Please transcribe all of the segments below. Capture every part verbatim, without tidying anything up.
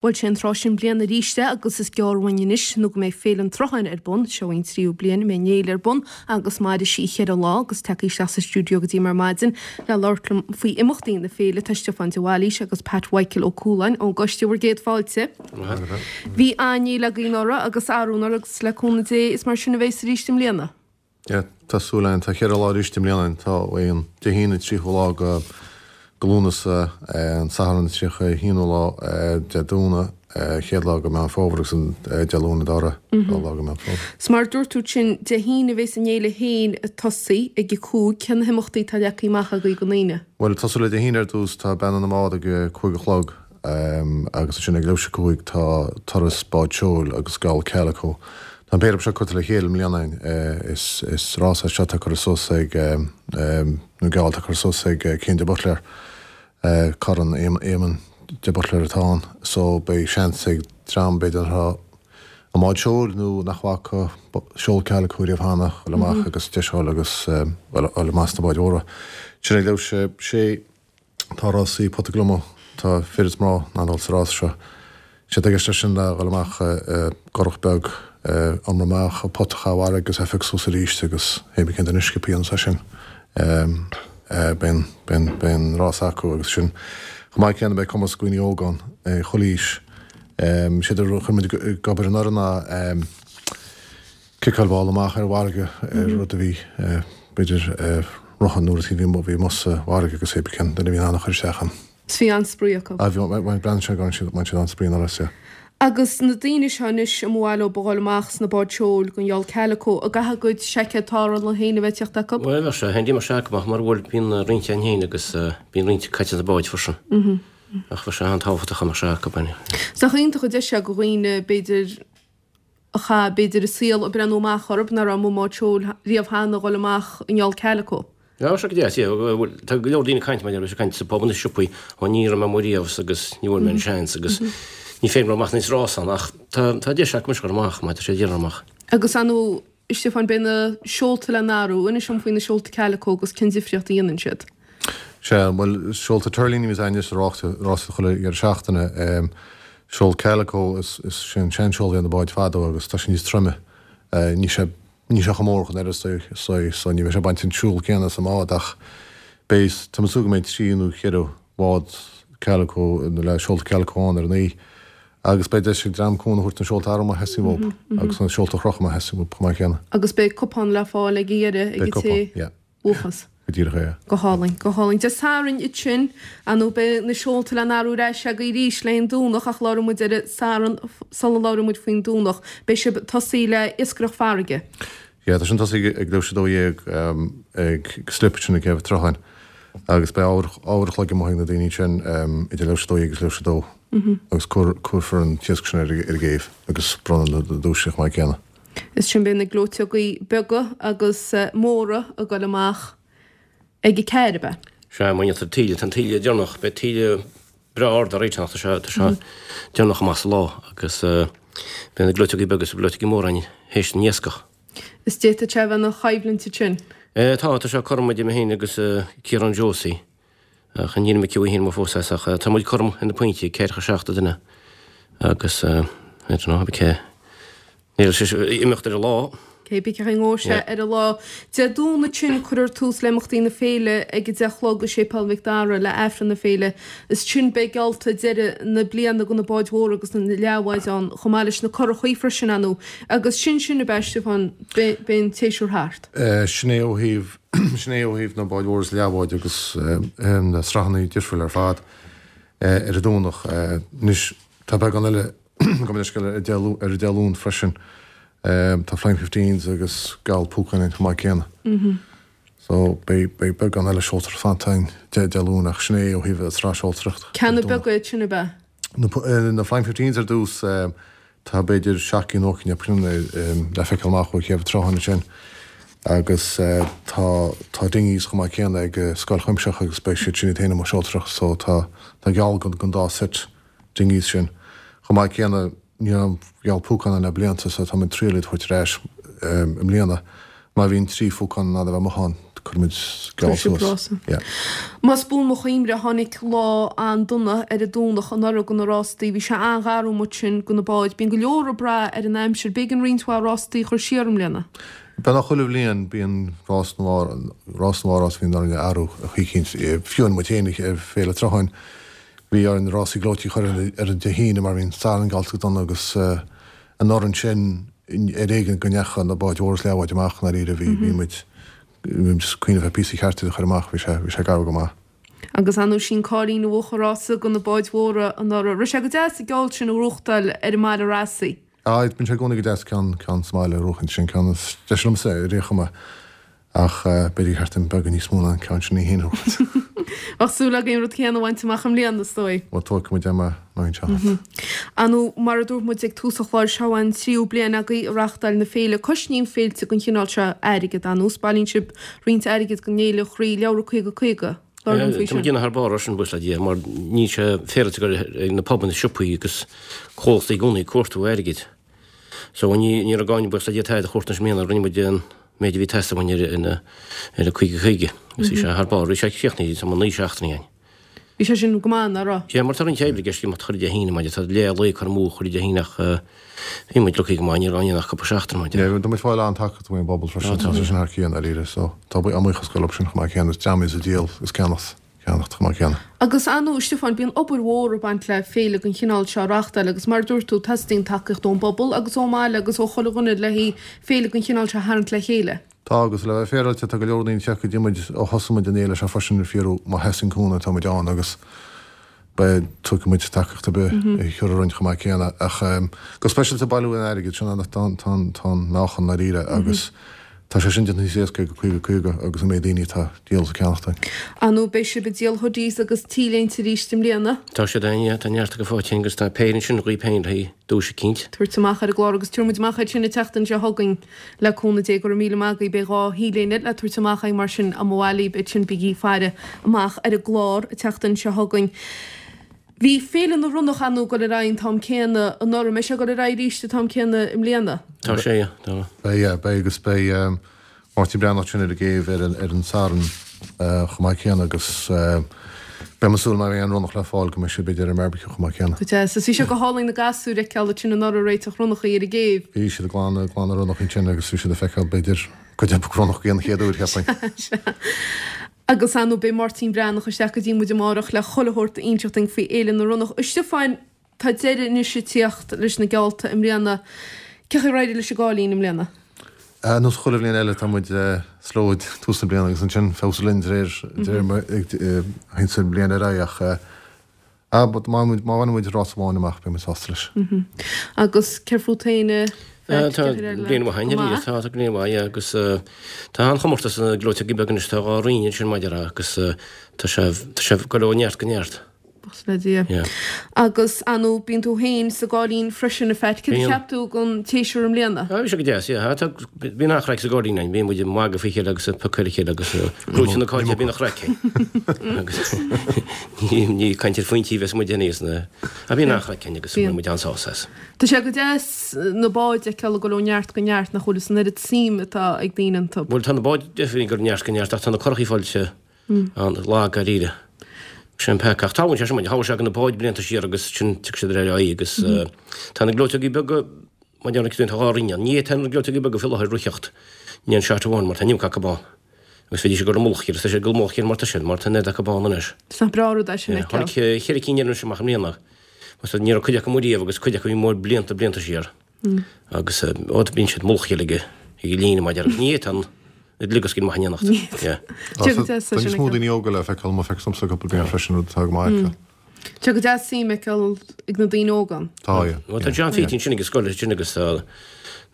Bhuel sé an tráth sin bliana arís é agus is gearr uainn anois nó go mbeidh Féile an tSrutháin ar bun. Seo í an tríú bliain a mbeidh an fhéile ar bun agus mairfidh sí cheithre lá agus tagtha isteach sa stiúideo go dtí mar maidin le labhairt liom faoi imeachtaí na féile tá Stiofán de Bhailís agus Pat Mhichael Ó Cualáin ón gcoiste bhur gcéad fáilte. Bhí an-fhéile againn anuraidh agus arú anuraidh agus le cúnamh Dé is mar sin a bheas arís i mbliana. Yeah, tá súil againn tá cheithre lá arís i mbliana tá an Dé hAoine tríocha lá go go Lúnasa an Satharn tríocha haonú lá Dé Domhnaigh chéad lá go Meán Fómhair agus an Dé Luain an dara lá go Meán Fómhair. 'S mar dúirt tú sin Dé hAoine a bheas an fhéile féin ag tosaí ag a cúig cé na himeachtaí atá leagtha amach agaibh don Aoine. Bhuel tosú le Dé hAoine ar dtús tá Beannú na mBád ag cúig a chlog agus ansin ag leathuair tar éis a cúig tá turas bád seoil agus geall calico. Tá an péire seo curtha le chéile i mbliana is is rás é seo atá curtha suas ag nó geall atá curtha suas ag Cian de Buitléar Corn Éamonn de Buitléar atá ann so beidh seans ag dream b'fhéidir atá i mbád seoil nó nach bhfaca seol calico riamh cheana dul amach agus deis a fháil agus dul amach sna báid mhóra. Sin ag leathuair tar éis a sé tá rásaí pota gliomach tá fir is mná in ann dul sa rás seo. Sé atá i gceist leis sin ná dhul amach i gcurach beag iomramh amach pota a chaitheamh i bhfarraige agus é a phiocadh suas arís agus hé bí cén duine sciobtha dhéanamh sé sin. Beidh beidh an rás acu agus sin chomh maith céanna beidh comórtas do dhaoine óga ann chuile aois. Séard a chuir muid ag obair anuraidh ná ciceáil ball amach ar an bhfarraige ar rud a bhí b'fhéidir rotha nó rud éicint a bhí amuigh sa bhfarraige agus hé bí cén duine a bhí in ann a chur isteach ann. 'S bhí an-spraoi acu. Ah bhí, bhreathnaigh sé go raibh siad, bhain siad an-spraoi anuraidh as, yeah. Agus na daoine seo anois a mba mhaith leo a dhul amach sna báid seoil don gheall calico, an gcaithfidh a gcuid seaicéad tarrthála féin a bheith ag teacht acu? Bhuel, bheadh sé handy mar sea acu ach mura bhfuil, bíonn roinnt againn féin agus bíonn roinnt caite sna báid freisin. Ach bheadh sé an-tábhachtach dá mbeadh sé acu, b'in. 'S nach iontach an deis é do dhaoine, b'fhéidir, a chaith, b'fhéidir, a saol ag breathnú amach orthu, nach raibh amuigh i mbád seoil riamh cheana, a dhul amach i ngeall calico. Tá sé go deas, yeah. Bhuel, tá go leor daoine ag caint maidir leis, ag caint sa bpub nó siopaí, ó ní raibh mé amuigh riamh agus ní bhfuair mé an seans agus ní féidir liom amach níos rás ann ach tá tá deis acu anois dul amach, má tá sé déanamh amach. Agus ar ndóigh, a Stiofáin, beidh na seolta le n-athrú, inis dom faoi na seolta calico agus cén difríocht a dhéanann siad. Sea, bhuel, seolta tuirlíní a bhíos againn anois sa rásaíocht chuile dheireadh seachtaine. Seol calico, is is sin seanseol a bhí ar na báid fadó agus tá sé níos troime. Níl sé Níl sé chomh mór ach an oiread so ní bheidh sé ag baint an siúl céanna as an mbád ach beidh, tá mé ag súil go mbeidh trí nó cheithre bhád calico nó le seolta calico ann ar an oíche agus beidh deis ag dream cúnamh a thabhairt na seolta a athrú má theastaíonn uathu agus na seolta a chrochadh má theastaíonn uathu chomh maith céanna. Agus beidh cupán le fáil ag an dheireadh ag Beidh an té cupán, yeah. bhuafas. Go díreach é. Go hálainn, go hálainn. Dé Sathairn ansin, ar ndóigh beidh na seolta le n-athrú ar ais agaibh arís le haghaidh an Domhnach ach labhróidh muid ar an Satharn sula labhróidh muid faoin Domhnach. Beidh sibh ag tosaí le iascaireacht farraige. Yeah, tá sin tosaí ag leathuair tar éis a dó dhéag ag slip sin ag Céibh an tSrutháin agus beidh uair uair a chloig amuigh ag na daoine sin idir leathuair tar éis a dó dhéag agus leathuair tar éis a dó agus cuirfear an t-iasc sin ar an gcéibh agus bronnadh na duaiseanna chomh maith céanna. Is sin beidh na gleoiteogaí beaga agus móra ag dul amach ag a ceathair, ab ea? Sea, má dhéantar taoille, tá an taoille deireanach, beidh taoille breá ard ar réiteach, tá sé, tá sé deireanach amach sa lá agus beidh na gleoiteogaí beaga is na gleoiteogaí móra ann théis na n-iascach. Is d'fhéadfadh sé a bheith ina choimhlint ansin. Tá, tá sé cothrom idir mé féin agus Ciarán Josie. Ach níl mé cinnte féin fós as ach tá muid cothrom ar na pointí, ceathracha seacht an duine agus I don't know, cé níl sé imeacht ar an lá. Cé bith cén chaoi a ngabhfaidh sé ar an lá. Dé Domhnaigh ansin cuirfear tús le imeachtaí na féile ag a deich a chlog i Séipéal Mhic Dara le Aifreann na féile. Is ansin beidh geallta deireadh na bliana do na báid mhóra agus na leathbháid ann chomh maith leis na curachaí freisin, ar ndóigh. Agus sin sin ab ea, Stiofán, beidh an tséasúr thart. Sin é ó thaobh Sin é ó thaobh na báid mhóra is leathbháid agus na sraitheanna difriúla ar fad ar an Domhnach. Anois tá beagán eile gabh mo leithscéal ar an Dé Luain freisin. Tá Flying Fifteens agus geall púcán ann chomh maith céanna. So beidh beidh beagán eile seoltóireacht fanta ann Dé Luain ach sin é ó thaobh an tsraith seoltóireacht Cé na beaga iad sin ab ea? Na Flying Fifteens ar dtús, tá b'fhéidir seacht gcinn ocht gcinn le feiceáil amach ó Chéibh an tSrutháin ansin agus tá tá dinghies chomh maith céanna ag Scoil Chuimsitheach agus beidh siad sin iad féin amuigh ag seoltóireacht so tá tá geall don dá set dinghies sin. Chomh maith céanna ní raibh geall púcán ann le blianta so tá muid ag triail iad a thabhairt ar ais i mbliana. Má bhíonn trí phúcán in ann a bheith amuigh ann cuirfimid geall suas. Más buan mo chuimhne tháinig lá an-dona ar an Domhnach anuraidh do na rástaí. Bhí sé an-gharbh amuigh ansin do na báid. Bíonn go leor ag brath ar an aimsir. B'éigean roinnt mhaith rástaí a chur siar i mbliana. Beagnach chuile bhliain bíonn rás nó rás nó rás bhíonn orainn a athrú chuicínt. Fiú muid féin ar Féile Srutháin bhí orainn rásaí gleoití a chur ar an Dé hAoine mar bhí an Satharn geallta go dona agus anuraidh ansin ar éigean go ndeacha na báid mhóra is leathbháid amach i ndáiríre bhí bhí muid bhí muid cuimhneamh ar píosa cheart iad a chur amach bhí sé bhí sé garbh go maith. Agus ar ndóigh sin Cáilín a bhuaigh an rása do na báid mhóra anuraidh. Raibh sé go deas an geall sin a ghnóthachtáil ar an mbaile rásaí. Á, bíonn sé i gcónaí go deas ceann, ceann sa mbaile a ghnóthachaint, sin ceann is deise liomsa ar aon chuma, ach b'fhéidir gur cheart dom beagán níos mó ná an ceann sin í féin a ghnóthachaint. Bheadh súil againn an rud céanna a bhaint amach i mbliana, is dóigh. Bhuel, tógfaidh muid é má bhíonn seans. Ar ndóigh, mar a dúirt muid ag tús an chláir, seo an tríú bliain agaibh ag reáchtáil na féile. Cosnaíonn féilte den chineál seo airgead, ar ndóigh, bailíonn sibh roinnt airgid don Fhéile an Chroí, Leabhra caoga caoga. Labhair liom faoi Tá muid sin. ag déanamh thar barr air sin, buíochas le Dia, mar níl sé féaráilte gur ag na pubanna, siopaí agus comhlachtaí i gcónaí ag cuartú airgid. So ní ní raibh gá againn, buíochas le Dia, tada a chuartú anois i mbliana, rinne muid an méid a bhí ag teastáil uainn ar ar ar an caoga caoga agus bhí sé thar barr. Bhí sé críochnaithe tá naoi seachtainí againn. Bhí sé sin go maith, nach raibh? Yeah, mar tá roinnt oibre i gceist imeacht chuile Dé hAoine, maidir tá leath lae curtha amú chuile Dé Haoine ach bhí muid lucky go maith, ní raibh againn ach cúpla seachtain maidir. Yeah, tá muid fáil an-tacaíocht ón bpobal freisin, tá sé sin thar cionn dáiríre, so tá ár mbuíochas ag dul leo sin chomh maith céanna, is dream iad a díol is ceannacht, ceannacht chomh maith céanna. Agus ar ndóigh, a Stiofáin, bíonn obair mhór ag baint le féile den chineál seo a reáchtáil agus mar a dúirt tú, teastaíonn tacaíocht ón bpobal agus ón mbaile agus ó chuile dhuine le haghaidh féile den chineál seo a tharraingt le chéile. Tá, agus le bheith féaráilte, tá go leor daoine ag teacht go dtí muid ó thosaigh muid an fhéile seo freisin ag fiafraí má theastaíonn cúnamh tá muid ann agus beidh, tógfaidh muid tacaíocht ar bith a thiúrfar orainn chomh maith céanna. Ach go speisialta bailiú an airgid, sin an, tá, tá, tá an meáchan ndáiríre agus tá sé sin déanta níos éasca ag caoga caoga agus an méid daoine atá ag díol is ag ceannacht uainn. Ar ndóigh, beidh sibh ag díol hoodies agus t-léinte arís i mbliana. Tá siad ann, yeah, tá neart acu faighte againn agus tá péire ansin dhaoibh féin le haghaidh duais eicínt. Tabhairt amach ar an gclár agus tabharfaidh muid amach iad sin an tseachtain seo chugainn le cúnamh Dé. Go raibh míle maith agaibh. Beidh dhá t-léine le tabhairt amach againn mar sin má bhailíonn iad sin bígí ag faire amach ar an gclár an tseachtain seo chugainn. Bhí Féile na Ronnach ar ndóigh ag dul ar aghaidh an t-am céanna anuraidh. An mbeidh sé ag dul ar aghaidh arís an t-am céanna i mbliana? Tá sé, yeah. Tá. Beidh, yeah, beidh agus beidh Máirtín Breathnach ansin ar an gcéibh ar an, ar an Satharn chomh maith céanna agus beidh mé ag súil má bheidh aon ronnach le fáil go mbeidh sé b'fhéidir ar an mbarbecue chomh maith céanna. Go deas. Is bhí sé go hálainn na gasúir a fheiceáil ansin anuraidh ag réiteach ronnachaí ar an gcéibh. Bhí siad ag glanadh, ag glanadh ronnach ansin agus bhí siad ag feiceáil b'fhéidir cuid acu ronnach den chéad uair, cheapfainn. Sea. Agus ar ndóigh beidh Máirtín Breathnach isteach go dtí muid amárach le chuile shórt a inseacht dúinn faoi Fhéile na Ronnach. A Stiofáin, tá deireadh anois ag tíocht leis na geallta i mbliana. Cén chaoi ar éirigh leis an gCáilín i mbliana? Ar nós chuile bhliain eile tá muid slow ag tús na bliana agus ansin feabhsú linn de réir de réir mar a théann an bhliain ar aghaidh ach Ah, but má má bhaineann muid rás amháin amach, beidh muid sásta leis. Agus céard fút féin, a Pheait, Tá bliain mhaith againn arís, tá, tá bliain mhaith, yeah, agus tá an-chomórtas sna gleoiteogaí beaga anois, tá dhá roinn ansin maidir agus tá sé, tá sé ag dul ó neart go neart. Buíochas le Dia. Yeah. Agus, ar ndóigh, bíonn tú féin sa gCáilín freisin, a Pheait. Céard a Bíonn. cheap tú den tséasúr i mbliana? Ah, bhí sé go deas, yeah. Tá, bíonn an-chraic sa gCáilín againn, bíonn muid ag magadh faoi chéile agus ag piocadh ar a chéile agus gnóite na cáinte, bíonn an chraic againn. Agus ní, ní caint ar phointí a bheas muid aníos na, ah, bíonn an-chraic againn agus Bíonn. bíonn muid an-sásta as. Tá sé go deas na báid a fheiceáil ag dul ó neart go neart, nach bhfuil, is an oiread suim atá ag daoine iontu. Bhuel, tá na báid definitely ag dul ó neart go neart ach tá na curachaí fáilte an-lag dáiríre. Sin an peaca. Ach tarlaíonn sé sin, tharla sé do na báid blianta siar agus sin tiocfaidh siad ar aghaidh agus tá na gleoiteogaí beaga, mar a deir tá dhá roinn ann. Ní fhéadfaidh na gleoiteogaí beaga faoi láthair rith in aon shot amháin mar tá an iomarca acu ann. Agus bheidís ag dul i mullach a chéile, tá siad ag dul i mullach a chéile mar tá siad, mar tá an oiread acu ann anois. Is nach breá an rud é sin a fheiceáil. Tháinig cheithre cinn eile anois amach i mbliana. Agus ní raibh cuid acu amuigh riamh agus cuid acu a bhí amuigh blianta, blianta siar. Agus ó bíonn siad i mullach a chéile ag ag líne mar a déarfá. Ní fhéadfaidh an dliogascaill maith in éineacht. Tá níos mó daoine óga le feiceáil má feictear domsa cúpla bliain freisin, rud atá go maith acu. Tá go deas suim a fheiceáil ag na daoine óga ann. Tá, yeah. Bhuel tá John Phete ansin ag an scoil ansin agus tá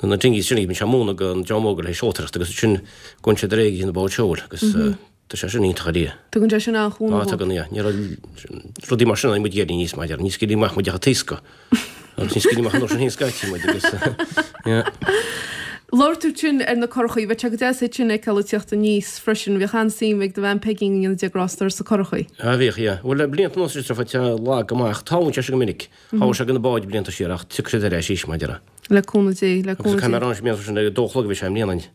na dinghies sin, bíonn sé ag múineadh don dream óg le haghaidh seoltóireacht agus ansin gabhann siad ar aghaidh ag na báid seoil agus tá sé sin iontach ar Tugann sé sin an-chúnamh. Á, tugann, yeah. Ní raibh rudaí mar sin ann muid ag éirí aníos mar a déarfá. Ní scaoiltí amach muid ach ag taoscadh. Agus ní scaoiltí amach an uair sin féin scaití muid agus, yeah. Labhair tú ansin ar na curachaí. Bheadh sé go deas iad sin a fheiceáil ag tíocht aníos freisin. Bhíodh an-suim ag do bhean Peigín go ndéana Dia grásta uirthi sna curachaí. Á, bhíodh, yeah. Bhuel, le blianta anuas is tá sé lag go maith ach tarlaíonn sé sin go minic. Tharla sé do na báid blianta siar ach tiocfaidh siad ar ais arís, mar a déarfá. Le cúnamh Dé, le Agus cúnamh caithfidh mé Dé. a rá anois, blianta sin ag a dó a chlog a bhí sé i mbliana.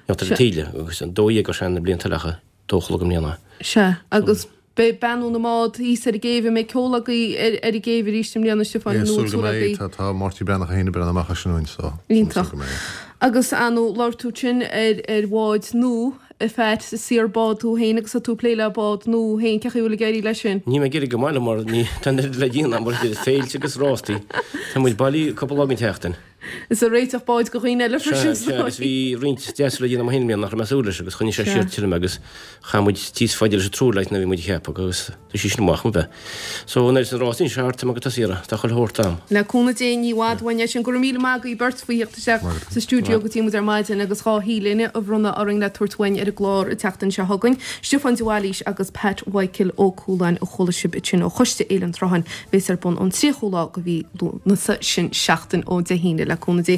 Ar an taoille agus an dó dhéag ar sean na blianta eile ach dó a chlog i mbliana. Sea, agus beidh beannú na mbád thíos ar an gcéibh, an mbeidh ceol agaibh ar an gcéibh arís i mbliana, Stiofán, nó an Súil go súil mbeidh, agaibh? tá tá Máirtín Breathnach féin ag breathnú amach as sin uainn so Iontach. súil go mbeidh. Agus ar ndóigh, labhair tú ansin ar ar bháid nua, a Phat, is saor bád tú féin agus tá tú ag plé le bád nua féin, cén chaoi a bhfuil ag éirí leis sin? Níl mé ag éirí go maith liom mar ní tá an oiread le déanamh mar idir féilte agus rástaí. Tá muid bailí cúpla lá den tseachtain. Is ag réiteach báid do dhaoine eile freisin. Sea, agus bhí roinnt deasú le déanamh agam féin i mbliana nach raibh mé ag súil leis agus choinnigh sé siar tuilleadh mé agus chaith muid níos faide leis an triúr leis ná bhí muid a cheapadh agus tá sí sin amach an bheith. So an oiread san rás sin thart, tá mé ag tosaí uirthi, tá chuile shórt am. Le cúnamh Dé ní i bhfad uainn é sin. Go raibh míle maith agaibh beirt faoi theacht isteach sa stiúideo go dtí muid ar maidin agus dhá T-léine a bhronnadh orainn le tabhairt uainn ar an gclár an tseachtain seo chugainn. Stiofán de Bhailís agus Pat Mhichael Ó Cualáin a chuala sibh ansin ó Choiste Fhéile an tSrutháin, bheas ar bun ón tríochú lá de mhí Lúnasa, sin seachtain ó Dé hAoine le cúnamh Dé.